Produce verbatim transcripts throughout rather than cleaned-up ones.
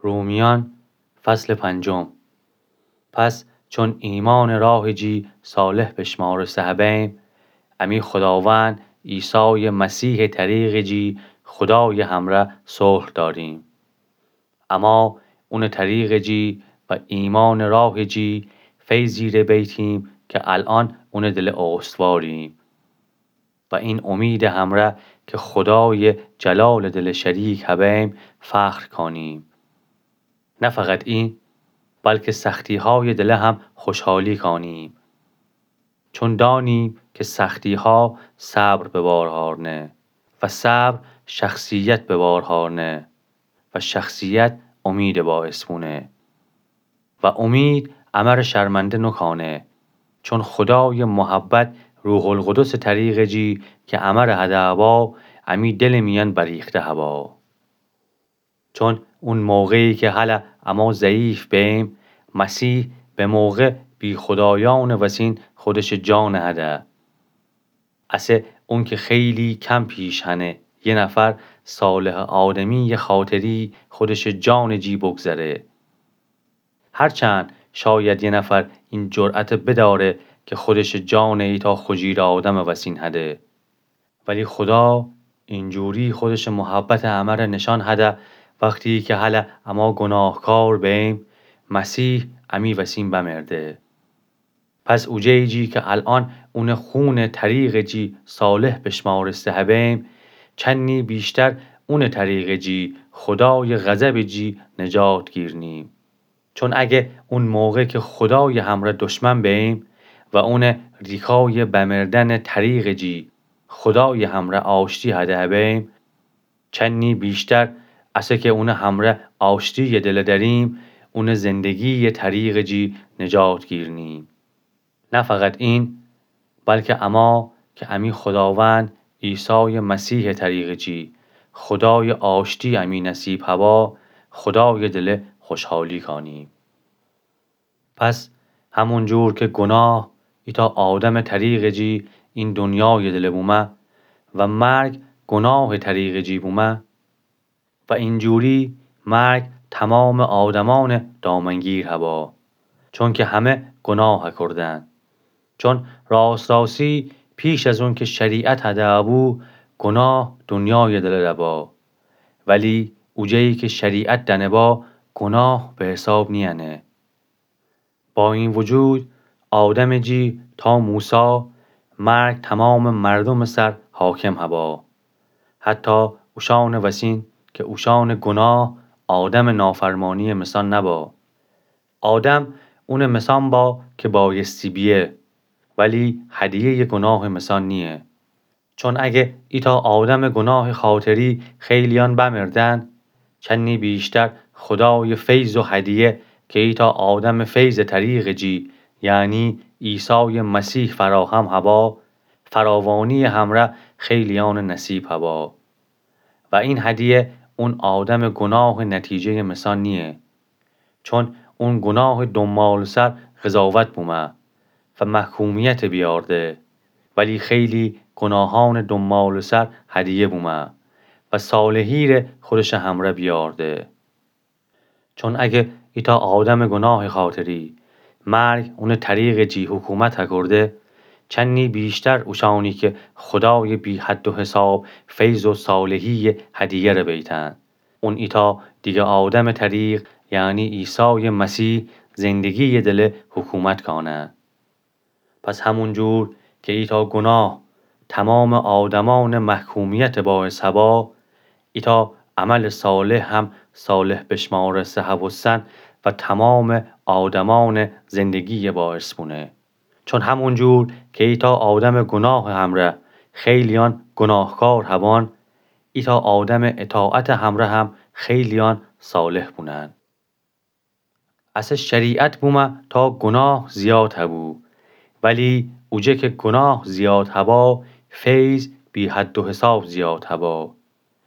رومیان، فصل پنجم. پس چون ایمأنٚ راهٚ جی صالح بشمارسته هبیم، امی خوداوند عیسایٚ مسیحٚ طریقٚ جی خودایٚ همرأ صلح دأریم. اما اونٚ طریقٚ جی و ایمأنٚ راهٚ جی فیضی ره بیتیم که الأن اونٚ دلٚ استواریم و این امیدٚ همرأ که خودایٚ جلالٚ دلٚ شریک هبیم فخر کانیم. نه فقط این، بلکه سختی‌هایٚ دلٚ هم خوشحالی کانیم. چون دانیم که سختی‌ها صبر به بار هارنه و صبر شخصیت به بار هارنه و شخصیت امید باعث بونه و امید امر شرمنده نوکانه، چون خودایٚ محبت روح‌القدسٚ طریقٚ جی که امر هده هبا، امی دلٚ میأن بریخته هبا. چون اون موقعی که هلأ اما ضعیف بیم، مسیح به موقع بی‌خودایأنٚ وسین خودشٚ جان هده. اسه اون که خیلی کم پیش هنه یه نفر صالحٚ آدمییٚ خاطری خودشٚ جانٚ جی بگذره. هرچند شاید یه نفر این جرأت بداره که خودشٚ جان ایتأ خجیر آدمٚ وسین هده، ولی خودا اینجوری خودشٚ محبتٚ امر نشان هده، وختی که هلأ اما گناهکار بیم، مسیح امی وسین بمرده. پس اوجه‌یی جی که الأن اونٚ خونٚ طریقٚ جی صالح بشمارسته هبیم، چنی بیشتر اونٚ طریقٚ جی خودایٚ غضبٚ جی نجات گیرنیم. چون اگه اون موقع که خودایٚ همرأ دشمن بیم و اونٚ ریکایٚ بمردنٚ طریقٚ جی خودایٚ همرأ آشتی هده هبیم، چنی بیشتر اسه که اونٚ همرأ آشتییٚ دلٚ دأریم، اونٚ زندگییٚ طریقٚ جی نجات گیرنیم. نه فقط این، بلکه اما که امی خوداوند عیسایٚ مسیحٚ طریقٚ جی خودایٚ آشتی امی نصیب هبا، خودایٚ دلٚ خوشحالی کانیم. پس همون جور که گناه ایتأ آدمٚ طریقٚ جی این دنیایٚ دلٚ بومه و مرگ گناهٚ طریقٚ جی بومه، و اینجوری مرگ تومامٚ آدمأنٚ دامنگیر هبا، چونکه همه گناه کوردن. چون راست راستی پیش از اون که شریعت هده بو، گناه دنیایٚ دلٚ ره با. ولی اوجه‌یی که شریعت دأنه با، گناه به حساب نیأنه. با این وجود، آدمٚ جی تا موسی مرگ تومامٚ مردومٚ سر حاکم هبا. حتی اوشأنٚ وسین که اوشأنٚ گناه آدمٚ نافرمانییٚ مثأن نبا. آدم اونٚ مثأن با که بایستی بیه، ولی هدیه‌یٚ گناهٚ مثأن نییه. چون اگه ایتأ آدمٚ گناهٚ خاطری خیلیأن بمردن، چنی بیشتر خودایٚ فیض و هدیه که ایتأ آدمٚ فیضٚ طریقٚ جی، یعنی عیسایٚ مسیح فراهم هبا، فراوانییٚ همرأ خیلیأنٚ نصیب هبا. و این هدیه اون آدمٚ گناهٚ نتیجه‌یٚ مثأن نییه. چون اون گناهٚ دنبالٚ سر قضاوت بومه و محکومیت بیارده، ولی خیلی گناهأنٚ دنبالٚ سر هدیه بومه و صالحی ره خودشٚ همرأ بیارده. چون اگه ایتأ آدمٚ گناهٚ خاطری مرگ اونٚ طریقٚ جی حکومت هکورده، چنی بیشتر اوشأنی که خودایٚ بی‌حد و حساب فیض و صالحییٚ هدیه ره بیتن، اون ایتأ دیگه آدمٚ طریق، یعنی عیسایٚ مسیح، زندگییٚ دلٚ حکومت کانه. پس همون جور که ایتأ گناه تومامٚ آدمأنٚ محکومیتٚ باعث هبا، ایتأ عملٚ صالح هم صالح بشمارسته هبوستن و تومامٚ آدمأنٚ زندگییٚ باعث بونه. چون همون جور که ایتأ آدمٚ گناهٚ همرأ خیلیأن گناهکار هبان، ایتأ آدمٚ اطاعتٚ همرأ هم خیلیأن صالح بونن. اسه شریعت بومه تا گناه زیاد هبو، ولی اوجه که گناه زیاد هبا، فیض بی‌حد و حساب زیاد هبا.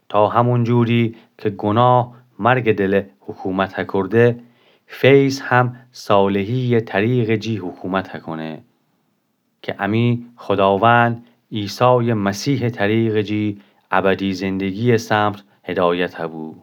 تا همون جوری که گناه مرگٚ دلٚ حکومت هکورده، فیض هم صالحییٚ طریقٚ جی حکومت هکونه. که امی خوداوند عیسایٚ مسیحٚ طریقٚ جی ابدی زندگییٚ سمت هدایت هبو.